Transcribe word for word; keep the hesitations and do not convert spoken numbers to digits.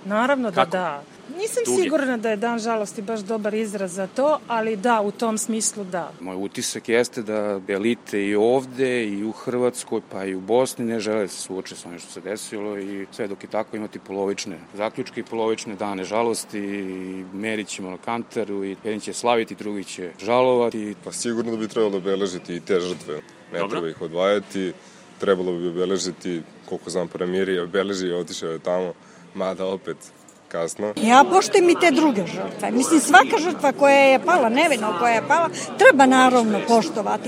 Naravno da Kako? da. Nisam Tuge. sigurna da je dan žalosti baš dobar izraz za to, ali da, u tom smislu da. Moj utisak jeste da elite i ovde i u Hrvatskoj pa i u Bosni ne žele da se suoče sa onim što se desilo i sve dok je tako imati polovične zaključke i polovične dane žalosti i merit ćemo na kantaru i jedan će slaviti, drugi će žalovati. Pa sigurno da bi trebalo obeležiti i te žrtve. Ne Dobro. treba ih odvajati, trebalo bi obeležiti, koliko znam premijer je obeležio i otišao je tamo, mada opet kasno. Ja poštujem i te druge žrtve. Mislim, svaka žrtva koja je pala, nevino koja je pala, treba naravno poštovati.